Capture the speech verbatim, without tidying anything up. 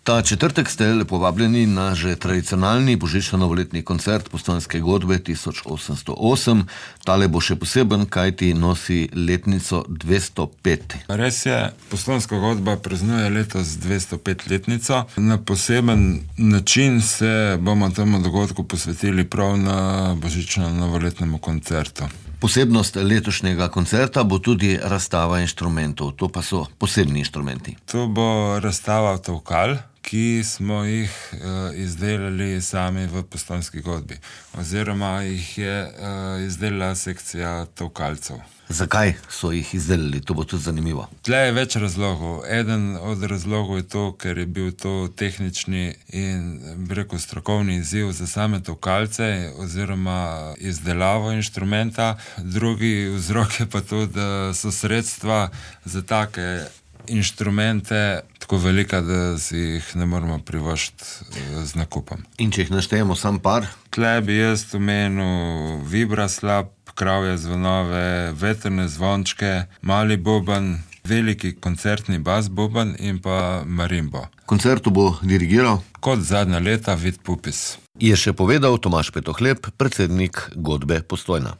Ta četrtek ste lepo vabljeni na že tradicionalni božično-novoletni koncert Postojnske godbe tisoč osemsto osem. Tale bo še poseben, kajti nosi letnico dvesto pet. Res je, Postojnska godba praznuje letos dvesto pet letnico. Na poseben način se bomo temu dogodku posvetili prav na božično-novoletnemu koncertu. Posebnost letošnjega koncerta bo tudi razstava inštrumentov. To pa so posebni inštrumenti. To bo razstava tolkal, ki smo jih uh, izdelali sami v Postojnski godbi. Oziroma jih je uh, izdelala sekcija tolkalcev. Zakaj so jih izdelali? To bo tudi zanimivo. Tle je več razlogov. Eden od razlogov je to, ker je bil to tehnični in, bi rekel, strokovni izziv za same tolkalce oziroma izdelavo inštrumenta. Drugi vzrok je pa to, da so sredstva za take inštrumente tako velika, da si jih ne moramo privoščiti z nakupom. In če jih naštejemo sam par? Tle bi jaz omenil vibraslab, kravje zvonove, vetrne zvončke, mali boben, veliki koncertni bas boben in pa marimbo. Koncertu bo dirigiral kot zadnja leta Vid Pupis. Je še povedal Tomaž Petohlep, predsednik godbe Postojna.